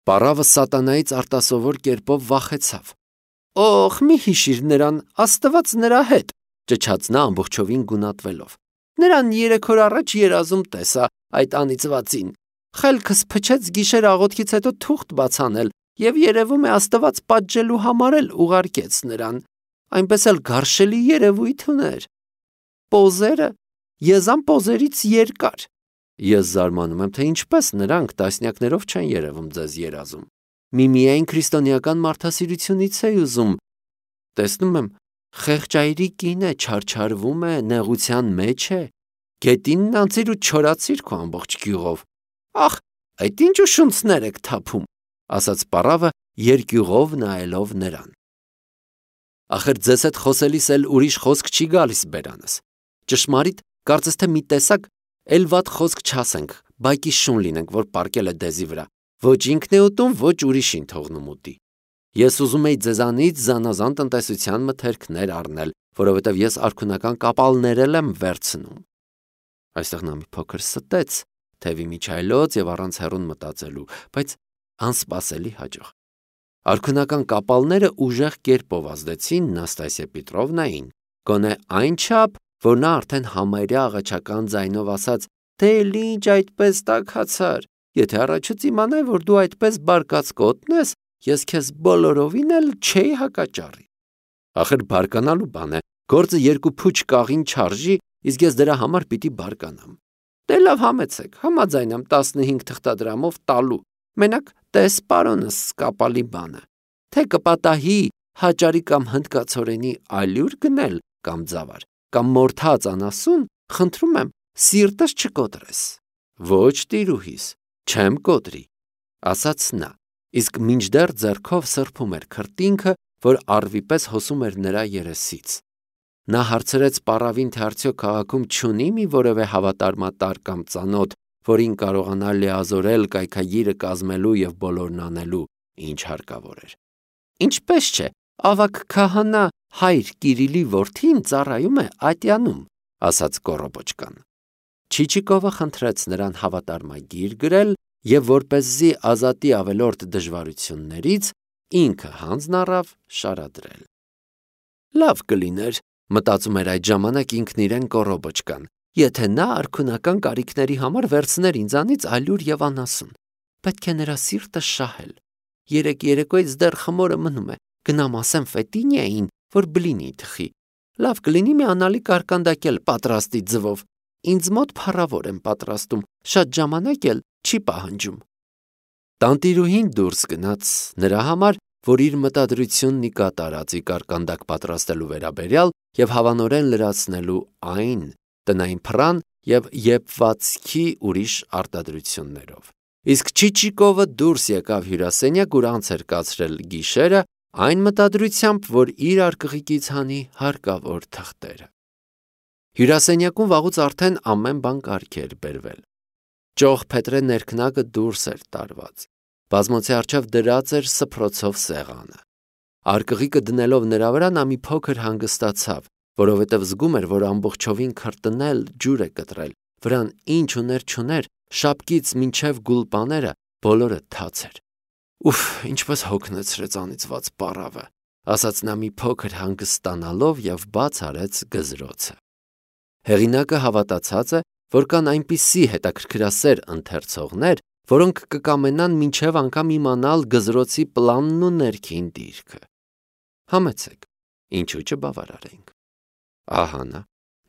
Պարավը սատանայից արտասովոր կերպով վախեցավ։ «Օխ, մի հիշիր նրան, Աստված նրա հետ», ճչաց նա ամբողջովին գունատվելով։ «Նրան 3 օր առաջ երազում տեսա այդ անիծվածին։ Խելքս փչեց գիշեր աղոթքից հետո թուղթ բաց անել, եւ երևում է Աստված պատժելու համար էլ ուղարկեց նրան։ Այնպես էլ գարշելի երևույթ ուներ։ Պոզերը եզան պոզերից երկար»։ Ես զարմանում եմ, թե ինչպես նրանք տասնյակներով չեն երևում ձեզ երազում։ Միայն քրիստոնեական մարդասիրությունից է ուզում։ Տեսնում եմ, խեղճայրի կին է, չարչարվում է, նեղության մեջ է։ Գետինն անցիր ու չորացիր քո ամբողջ գյուղով։ Ախ, այդ ինչ ուշունցներ եք թափում, ասաց պարավը երկյուղով նայելով նրան։ Ախր ձեզ հետ խոսելիս էլ ուրիշ խոսք չի գալիս բերանս։ Ճշմարիտ, կարծես թե մի տեսակ էլ վատ խոսք չասենք, բայկի շուն լինենք, որ պարկել է դեզի վրա։ Ոչ ինքն է ուտում, ոչ ուրիշին թողնում ուտի։ Ես ուզում էի ձեզանից զանազան տնտեսության մթերքներ առնել, որովհետև ես արքունական կապալներ եմ վերցնում։ Այստեղ նա մի փոքր ստեց, թևի միջայլոց եւ առանց հեռուն մտածելու, բայց անսպասելի հաջող։ Արքունական կապալները ուժեղ կերպով ազդեցին Նաստասիա Պետրովնային, գոնե այնչափ, որ նա արդեն համարյա աղաչական ձայնով ասաց. «Դե ինչ այդպես տաքացար, եթե առաջուց իմանայի, որ դու այդպես բարկած կոտնես, ես քեզ բոլորովին էլ չէի հակաճառի»։ Ախր բարկանալու բան է, գործը 2 փուչ կաղին չարժի, իսկ ես դրա համար պիտի բարկանամ։ Դե լավ համեցեք, համաձայն եմ 15 թղթադրամով տալու։ Մենակ տես պարոնս կապալի բանը, թե կպատահի հաճարի կամ հնդկացորենի ալյուր գնել կամ ձավար, կամ մորթած անասուն, խնդրում եմ, սիրտս չկոտրես։ Ոչ տիրուհիս, չեմ կոտրի, ասաց նա, իսկ մինչդեռ ձեռքով սրբում էր քրտինքը, որ առվի պես հոսում էր նրա երեսից։ Նա հարցրեց պարավին, թե արդյոք քաղաքում չունի մի որևէ հավատարմատար կամ ծանոթ, որին կարողանա լիազորել կայքագիրը կազմելու եւ բոլորն անելու, ինչ հարկավոր էր։ Ինչպես չէ, ավակ քահանա հայր Կիրիլի որդին ծառայում է Ատյանում, ասաց Կոռոբոչկան։ Չիչիկովը խնդրեց նրան հավատարմագիր գրել եւ որպեսզի ազատի ավելորդ դժվարություններից, ինքը հանձն առավ շարադրել։ Լավ կլիներ, մտածում էր այդ ժամանակ ինքն իրեն Կոռոբոչկան, եթե նա արքունական կարիքների համար վերցներ ինձանից ալյուր եւ անասուն։ Պետք է նրա սիրտը շահել։ Երեկոյից դեռ խմորը մնում է, գնամ ասեմ Ֆետինիային, որ բլինի թխի։ Լավ կլինի մի անալի կարկանդակել պատրաստի ձվով։ Ինձ մոտ փառավոր եմ պատրաստում, շատ ժամանակ էլ չի պահանջում։ Տանտիրուհին դուրս գնաց նրա համար, որ իր մտադրությունն ի կատարածի կարկանդակ պատրաստելու վերաբերյալ եւ հավանորեն լրացնելու այն տնային փռան եւ եփվածքի ուրիշ արտադրություններով։ Իսկ Չիչիկովը դուրս եկավ հյուրասենյակ, ուր անց էր կացրել գիշերը, այն մտադրությամբ, որ իր արկղիկից հանի հարկավոր թղթերը։ Հյուրասենյակում վաղուց արդեն ամեն բան կարգ էր բերվել։ Ճոխ փետրե ներքնակը դուրս էր տարված։ Բազմոցի առջև դրած էր սփռոցով սեղանը։ Արկղիկը դնելով նրա վրա նա մի փոքր հանգստացավ, որովհետև զգում էր, որ ամբողջովին քրտնել ջուր է կտրել, վրան ինչ ուներ չուներ, շապկից մինչև գուլպաները բոլորը թաց էր։ Ուֆ, ինչպես հոգնեցրեց անիծված պարավը, ասաց նա մի փոքր հանգստանալով եւ բաց արեց գզրոցը։ Հեղինակը հավատացած է, որ կան այնպիսի հետաքրքրասեր ընթերցողներ, որոնք կկամենան մինչև անգամ իմանալ գզրոցի պլանն ու ներքին դիրքը։ Համեցեք, ինչու չբավարարենք։ Ահա նա,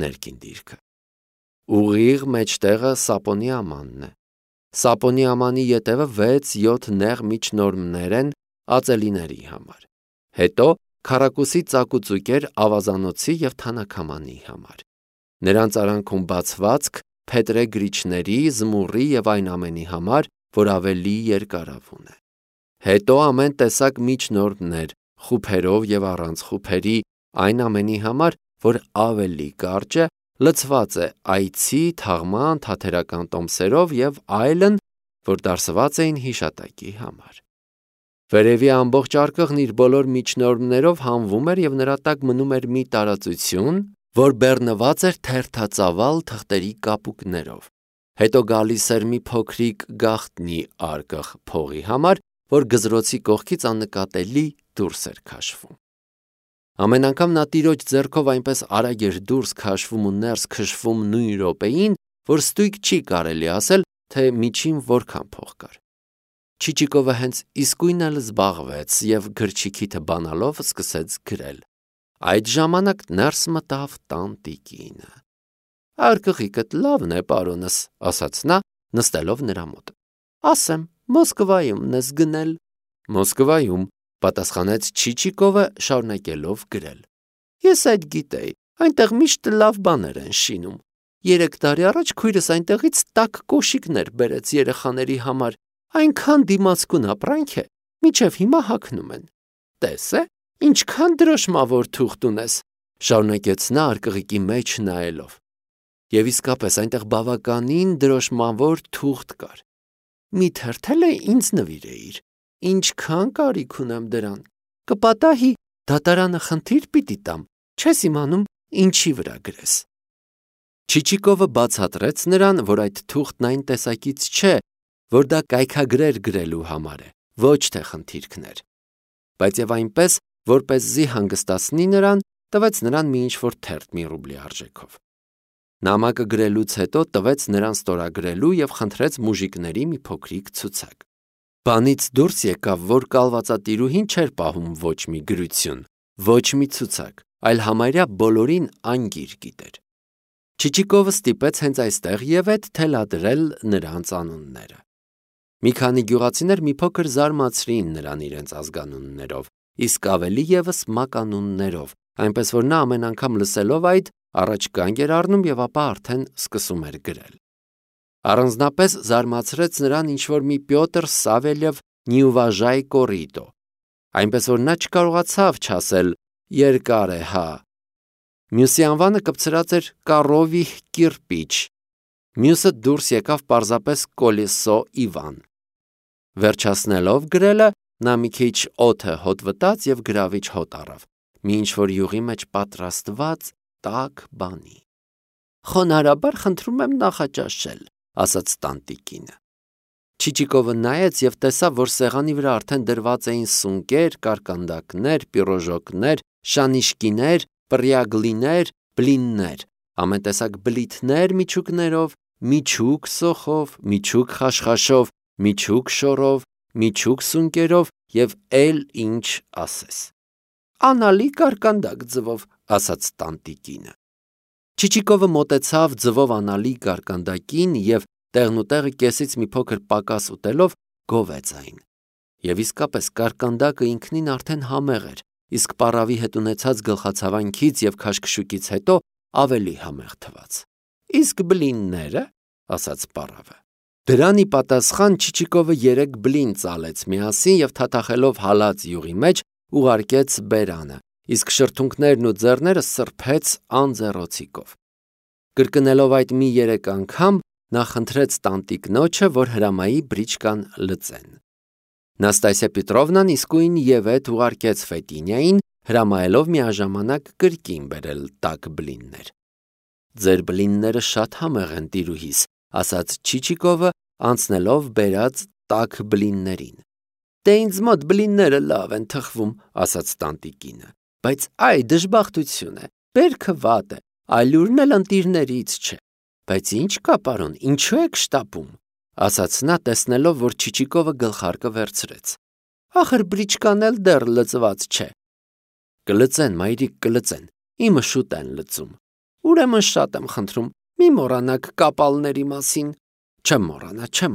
ներքին դիրքը։ Ուղիղ մեջտեղը Սապոնի ամանն է։ Սապոնի ամանի ետևը 6-7 նեղ միջնորմներ են ածելիների համար։ Հետո քառակուսի ծակուծուկեր ավազանոցի եւ թանաքամանի համար։ Նրանց արանքում բացվածք փետրե գրիչների, զմուռի եւ այն ամենի համար, որ ավելի երկարավուն է։ Հետո ամեն տեսակ միջնորդներ, խուփերով եւ առանց խուփերի, այն ամենի համար, որ ավելի կարճ է, լցված է այցի, թաղման, թաթերական տոմսերով եւ այլն, որ դարսված էին հիշատակի համար։ Վերևի ամբողջ արկղն իր բոլոր միջնորդներով հանվում էր եւ նրա տակ մնում էր մի տարածություն, որ բեռնված էր թերթածավալ թղթերի կապուկներով։ Հետո գալիս էր մի փոքրիկ գաղտնի արկղ փողի համար որ գզրոցի կողքից աննկատելի դուրս էր քաշվում։ Ամեն անգամ նա տիրոջ ձեռքով այնպես արագ էր դուրս քաշվում ու ներս քշվում նույն րոպեին, որ ստույգ չի կարելի ասել, թե միջին որքան փող կար։ Չիչիկովը հենց իսկույն էլ զբաղվեց և գրչիքիթը բանալով սկսեց գրել։ Այդ ժամանակ ներս մտավ տանտիկինը։ «Արկղիկդ լավն է, պարոնս», ասաց նա, նստելով նրա մոտ։ «Ասեմ, Մոսկվայումն ես գնել»։ «Մոսկվայում», պատասխանեց Չիչիկովը, շարունակելով գրել։ «Ես այդ գիտեի, այնտեղ միշտ լավ բաներ են շինում։ 3 տարի առաջ քույրս այնտեղից տաք կոշիկներ բերեց երեխաների համար, այնքան դիմացկուն ապրանք է, մինչև հիմա հագնում են։ Տես է, ինչքան դրոշմավոր թուղթ ունես», շարունակեց նա արկղիկի մեջ նայելով։ Եվ իսկապես այնտեղ բավականին դրոշմավոր թուղթ կար։ «Մի թերթել է ինձ նվիրեիր, ինչքան կարիք ունեմ դրան, կպատահի դատարանը խնդիր պիտի տամ, չես իմանում ինչի վրա գրես»։ Չիչիկովը բացատրեց նրան, որ այդ թուղթն այն տեսակից չէ, որ դա կայքագրեր գրելու համար է, ոչ թե խնդիրքներ։ Բայց եւ այնպես, որպեսզի հանգստացնի նրան, տվեց նրան մի ինչ-որ թերթ մի ռուբլի արժեքով։ Նամակը գրելուց հետո տվեց նրան ստորագրելու եւ խնդրեց մուժիկների մի փոքրիկ ցուցակ։ Բանից դուրս եկավ, որ կալվածատիրուհին չէր պահում ոչ մի գրություն, ոչ մի ցուցակ, այլ համարյա բոլորին անգիր գիտեր։ Չիչիկովը ստիպեց հենց այստեղ եւ այդ թելադրել նրանց անունները։ Մի քանի գյուղացիներ մի փոքր զարմացրին նրան իրենց ազգանուններով, իսկ ավելի եւս մականուններով, այնպես որ նա ամեն անգամ լսելով այդ, առաջ կանգ էր առնում եւ ապա արդեն սկսում էր գրել։ Առանձնապես զարմացրեց նրան ինչ-որ մի Պյոտր Սավելև Նյուվաժայ կորիտո, այնպես որ նա չկարողացավ չասել երկար է, հա։ Մյուսի անվանը կպցրած էր Կարովիհ Կիրպիչ, մյուսը դուրս եկավ պարզապես Կոլեսո Իվան։ Վերջացնելով գրելը, նա մի քիչ օդը հոտ վտաց եւ գրավիչ հոտ առավ, մի ինչ-որ յուղի մեջ պատրաստված տաք բանի։ «Խոնարհաբար խնդրում եմ նախաճաշել», ասաց տանտիկինը։ Չիչիկովը նայեց եւ տեսավ, որ սեղանի վրա արդեն դրված էին սունկեր, կարկանդակներ, պիրոժոկներ, շանիշկիներ, պրյագլիներ, բլիններ, ամեն տեսակ բլիթներ միջուկներով, միջուկ սոխով, միջուկ խաշխաշով, միջուկ շորով, միջուկ սունկերով եւ էլ ինչ ասես։ «Անալի կարկանդակ ձվով», ասաց տանտիկինը։ Չիչիկովը մոտեցավ ձվով անալի կարկանդակին եւ տեղնուտեղը կեսից մի փոքր պակաս ուտելով գովեց այն։ Եվ իսկապես կարկանդակը ինքնին արդեն համեղ էր, իսկ պարավի հետ ունեցած գլխացավանքից եւ քաշքշուկից հետո ավելի համեղ թվաց։ «Իսկ բլինները», ասաց պարավը։ Դրանի պատասխան Չիչիկովը 3 բլին ծալեց միասին եւ թաթախելով հալած յուղի մեջ ուղարկեց բերանը, իսկ շրթունքներն ու ձեռները սրբեց անձեռոցիկով։ Կրկնելով այդ մի 3 անգամ, նա խնդրեց տանտիկնոջը, որ հրամայի բրիչկան լծեն։ Նաստասիա Պետրովնան իսկույն եւ այդ ուղարկեց Ֆետինյային, հրամայելով միաժամանակ կրկին բերել տաք բլիններ։ «Ձեր բլինները շատ համեղ են, տիրուհիս», ասաց Չիչիկովը, անցնելով բերած տաք բլիններին։ «Դե ինձ մոտ բլինները լավ են թխվում», ասաց տանտիկինը, «բայց այ դժբախտություն է, բերքը վատ է, այլուրն էլ ընտիրներից չէ։ Բայց ինչ կա, պարոն, ինչու եք շտապում», ասաց նա, տեսնելով, որ Չիչիկովը գլխարկը վերցրեց։ «Ախր բրիչկան էլ դեռ լծված չէ»։ «Կլծեն, մայրիկ, կլծեն, իմը շուտ են լծում»։ «Ուրեմն շատ եմ խնդրում, մի մոռանաք կապալների մասին»։ «Չեմ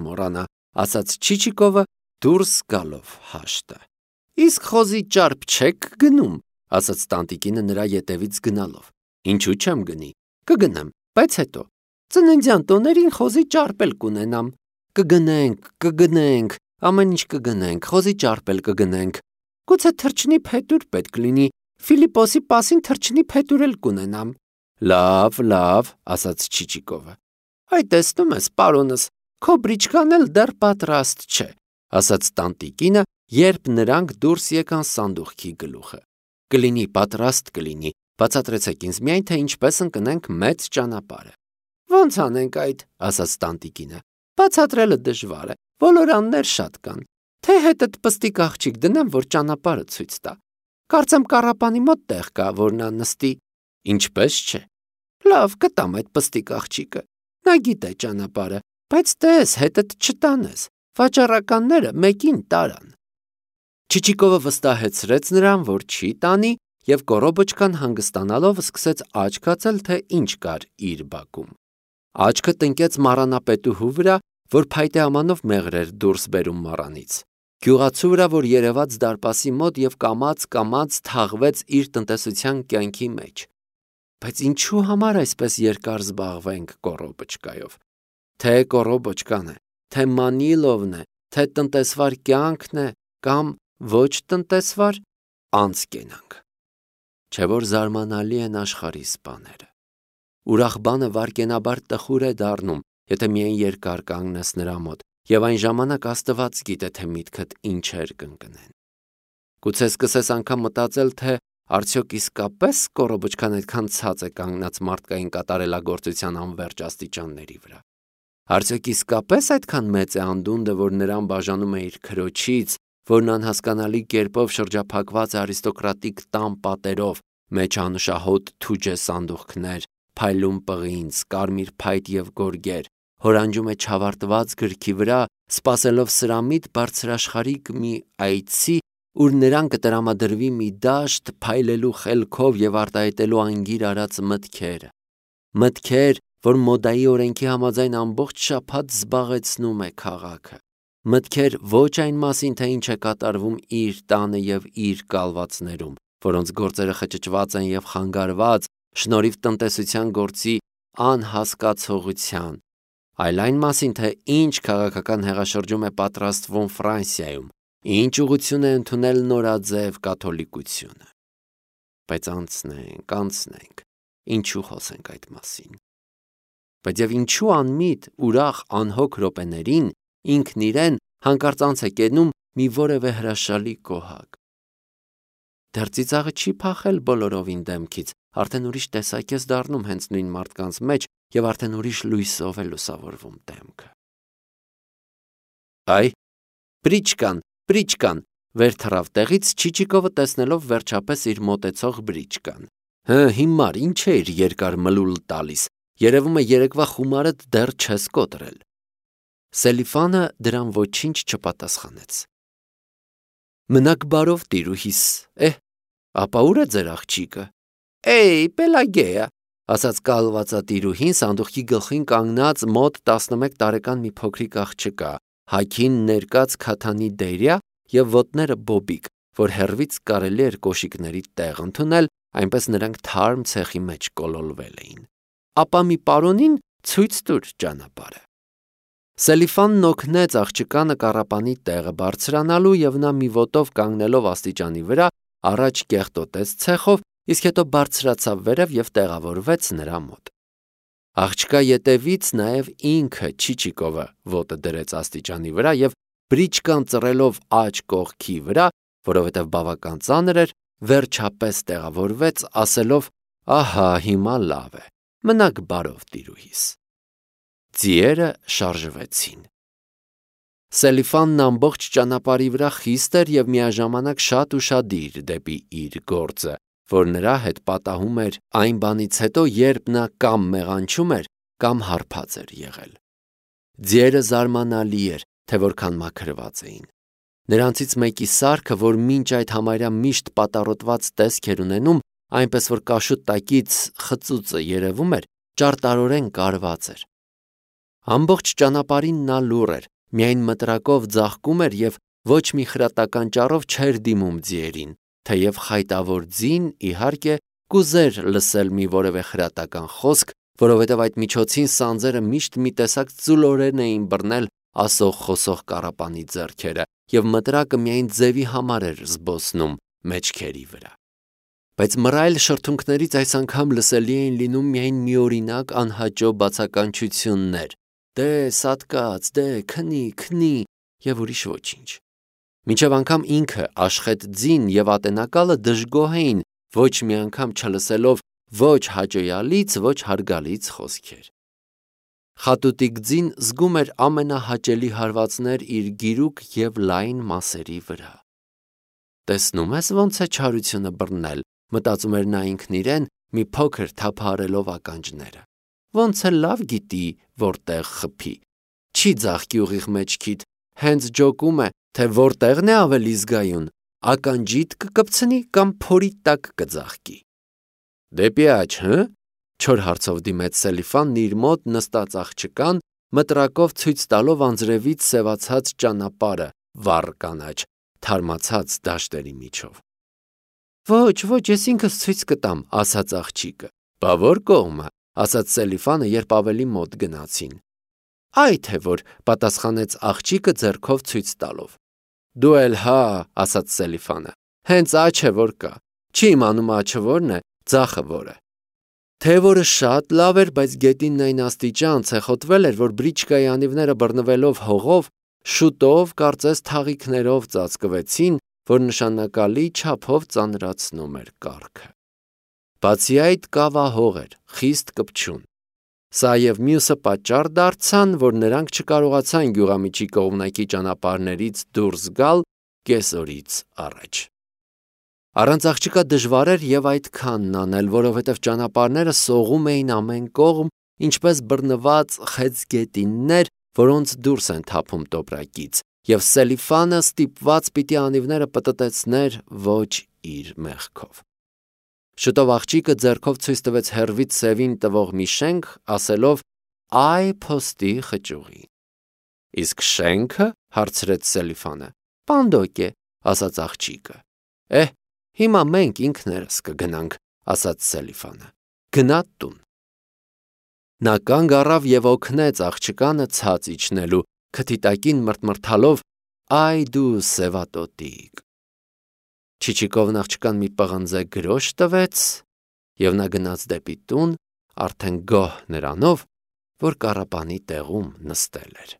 մոռանա», ասաց Չիչիկովը դուրս գալով հաշտը։ «Իսկ խոզի ճարպ չեք գնում», ասաց տանտիկինը նրա ետևից գնալով։ «Ինչու չեմ գնի, կգնեմ, բայց հետո։ Ծննդյան տոներին խոզի ճարպ էլ կունենամ։ Կգնենք, ամեն ինչ կգնենք, խոզի ճարպ էլ կգնենք։ Գուցե թռչնի փետուր պետք լինի, Ֆիլիպոսի պասին թռչնի փետուր էլ կունենամ»։ Լավ, ասաց Չիչիկովը։ «Այ տեսնում ես, պարոնս, քո բրիչկան էլ դեռ պատրաստ չէ», ասաց տանտիկինը, երբ նրանք դուրս եկան սանդուղքի գլուխը։ «Կլինի, պատրաստ կլինի, բացատրեցեք ինձ միայն, թե ինչպես ընկնենք մեծ ճանապարհը»։ «Ոնց անենք այդ», ասաց տանտիկինը։ «Բացատրելը դժվար է, ոլորաններ շատ կան։ թե հետդ պստիկ աղջիկ դնեմ, որ ճանապարհը ցույց տա։ Կարծեմ կառապանի մոտ տեղ կա, որ նա նստի։ Ինչպես չէ։ Լավ, կտամ այդ պստիկ աղջիկը։ Նա գիտե ճանապարհը, բայց տես հետդ չտանես։ Վաճառականները մեկին տարան։ Չիչիկովը վստահեցրեց նրան, որ չի տանի, եւ կորոբոչկան հանգստանալով սկսեց աչք հացել, թե ինչ կար իր բակում։ Աչքը տնկեց մառանապետուհու վրա, որ փայտե ամանով մեղր էր դուրս բերում մառանից, գյուղացու վրա, որ երևաց դարպասի մոտ եւ կամաց թաղվեց իր տնտեսության կյանքի մեջ։ Բայց ինչու համար այսպես երկար զբաղվենք կորոբոչկայով։ Թե կորոբոչկան է, թե Մանիլովն է, թե տնտեսվար կյանքն է, կամ ոչ տնտեսվար, անց կենանք։ Չէ որ զարմանալի են աշխարհի սպաները։ Ուրախ բանը վարկենաբար տխուր է դառնում, եթե միայն երկար կանգնես նրա մոտ, եւ այն ժամանակ Աստված գիտե, թե միտքդ ինչեր կընկնեն։ Գուցե սկսես անգամ մտածել, թե արդյոք իսկապես կորոբոչկան այդքան ցած է կանգնած մարդկային կատարելագործության անվերջ աստիճանների վրա։ Արդյոք իսկապես այդքան մեծ է անդունդը, որ նրան բաժանում է իր քրոջից, որն անհասկանալի կերպով շրջափակված է արիստոկրատիկ տան պատերով, մեջ անուշահոտ թուջե սանդուղքներ, փայլուն պղինձ, կարմիր փայտ եւ գորգեր, հորանջում է չավարտված գրքի վրա, սպասելով սրամիտ բարձրաշխարհիկ մի այցի, ուր նրան կտրամադրվի մի դաշտ փայլելու խելքով եւ արտահայտելու անգիր արած մտքերը։ Մտքեր, որ մոդայի օրենքի համաձայն ամբողջ շաբաթ զբաղեցնում է քաղաքը։ Մտքեր ոչ այն մասին, թե ինչ է կատարվում իր տանը եւ իր կալվածներում, որոնց գործերը խճճված են եւ խանգարված շնորհիվ տնտեսության գործի անհասկացողության, այլ այն մասին, թե ինչ քաղաքական հեղաշրջում է պատրաստվում Ֆրանսիայում, ինչ ուղղություն է ընդունել նորաձև կաթոլիկությունը։ Բայց անցնենք, ինչու խոսենք այդ մասին։ Բայց եւ ինչու անմիտ, ուրախ, անհոգ րոպեներին ինքն իրեն հանկարծ անց է կենում մի որևէ հրաշալի կոհակ։ Դեռ ծիծաղը չի փախել բոլորովին դեմքից, արդեն ուրիշ տեսակ է դառնում հենց նույն մարդկանց մեջ եւ արդեն ուրիշ լույսով է լուսավորվում դեմքը։ Այ, Բրիչկան, վեր թռավ տեղից Չիչիկովը տեսնելով վերջապես իր մոտեցող Բրիչկան։ Հիմար, ինչ է իր երկար մլուլ տալիս, երևում է երեկվա խումարդ դեռ չես կոտրել։ Սելիֆանը դրան ոչինչ չպատասխանեց։ Մնաք բարով տիրուհիս, ապա ուր է ձեր աղջիկը։ Պելագեա, ասաց կալվածատիրուհին սանդուղքի գլխին կանգնած մոտ 11 տարեկան մի փոքրիկ աղջկա, հագին ներկած քաթանի դերյա եւ ոտները բոբիկ, որ հեռվից կարելի էր կոշիկների տեղ ընդունել, այնպես նրանք թարմ ցեխի մեջ կոլոլվել էին։ Ապա մի պարոնին ցույց տուր ճանապարհը։ Սելիֆանն օգնեց աղջկանը կառապանի տեղը բարձրանալու եւ նա մի ոտով կանգնելով աստիճանի վրա առաջ կեղտոտեց ցեխով, իսկ հետո բարձրացավ վերև եւ տեղավորվեց նրա մոտ։ Աղջկա ետևից նաեւ ինքը Չիչիկովը ոտը դրեց աստիճանի վրա եւ Բրիչկան ծռելով աջ կողքի վրա, որովհետեւ բավական ծանր էր, վերջապես տեղավորվեց, ասելով. «Ահա, հիմա լավ է, մնաք բարով տիրուհիս»։ Ձիերը շարժվեցին։ Սելիֆանն ամբողջ ճանապարհի վրա խիստ էր եւ միաժամանակ շատ ուշադիր դեպի իր գործը, որ նրա հետ պատահում էր այն բանից հետո, երբ նա կամ մեղանչում էր, կամ հարբած էր եղել։ Ձիերը զարմանալի էր, թե որքան մաքրված էին։ Նրանցից մեկի սարքը, որ մինչ այդ համարյա միշտ պատառոտված տեսք էր ունենում, այնպես որ կաշուտ տակից խծուծը երևում էր, ճարտարորեն կարված էր։ Ամբողջ ճանապարհին նա լուռ էր, միայն մտրակով ձաղկում էր եւ ոչ մի խրատական ճառով չէր դիմում ձիերին, թեև խայտավոր ձին, իհարկե, կուզեր լսել մի որևէ խրատական խոսք, որովհետև այդ միջոցին սանձերը միշտ մի տեսակ ծուլորեն էին բռնել ասող-խոսող կառապանի ձեռքերը, եւ մտրակը միայն ձևի համար էր զբոսնում մեջքերի վրա։ Բայց մռայլ շրթունքներից այս անգամ լսելի էին լինում միայն միօրինակ անհաճո բացականչություններ. «Դե, սատկած, դե, քնի» եւ ուրիշ ոչինչ։ Մինչև անգամ ինքը Աշխետ ձին եւ ատենակալը դժգոհ էին, ոչ մի անգամ չլսելով ոչ հաճոյալից, ոչ հարգալից խոսքեր։ Խատուտի գծին զգում էր ամենահաճելի հարվածներ իր գիրուկ և լայն մասերի վրա։ «Տեսնում ես ոնց է չարությունը բռնել», մտածում էր նա ինքն իրեն, մի փոքր թափահարելով ականջները։ Ոնց է լավ գիտի, որտեղ խփի։ Չի ձաղկի ուղիղ մեջքիդ, հենց ջոկում է, թե որտեղն է ավելի զգայուն, ականջիդ կկպցնի կամ փորի տակ կձաղկի։ «Դեպի աջ, հը՞», չոր հարցով դիմեց Սելիֆանն իր մոտ նստած աղջկան, մտրակով ցույց տալով անձրևից սևացած ճանապարհը վառ կանաչ, թարմացած դաշտերի միջով։ «Ոչ, ես ինքս ցույց կտամ», ասաց աղջիկը։ «Բա որ կողմը», ասաց Սելիֆանը, երբ ավելի մոտ գնացին։ «Այ թե որ», պատասխանեց աղջիկը ձեռքով ցույց տալով։ «Դու էլ հա», ասաց Սելիֆանը, «հենց աջ է որ կա, չի իմանում աջը որն է, ձախը որը»։ Թևորը շատ լավ էր, բայց գետինն այն աստիճան ցեխոտվել էր, որ բրիչկայի անիվները բռնվելով հողով, շուտով կարծես թաղիքներով ծածկվեցին, որ նշանակալի չափով ծանրացնում էր կառքը։ Բացի այդ, կավահող էր, խիստ կպչուն։ Սա և մյուսը պատճառ դարձան, որ նրանք չկարողացան գյուղամիջի կողմնակի ճանապարհներից դուրս գալ կեսօրից առաջ։ Առանց աղջկա դժվար էր և այդքանն անել, որովհետև ճանապարհները սողում էին ամեն կողմ, ինչպես բռնված խեցգետիններ, որոնց դուրս են թափում տոպրակից, և Սելիֆանը ստիպված պիտի անիվները պտտեցներ ոչ իր մեղքով։ Շուտով աղջիկը ձեռքով ցույց տվեց հեռվից սևին տվող մի շենք, ասելով. «Այ փոստի խճուղի»։ «Իսկ շենքը», հարցրեց Սելիֆանը։ «Պանդոկ է», ասաց աղջիկը։ Հիմա մենք ինքներս կգնանք, ասաց Սելիֆանը։ Գնա տուն։ Նա կանգ առավ և օգնեց աղջկանը ցած իջնելու, քթի տակին մրթմրթալով. «Այ դու սևատոտիկ»։ Չիչիկովն աղջկան մի պղնձե գրոշ տվեց, և նա գնաց դեպի տուն, արդեն գոհ նրանով, որ կառապանի տեղում նստել էր։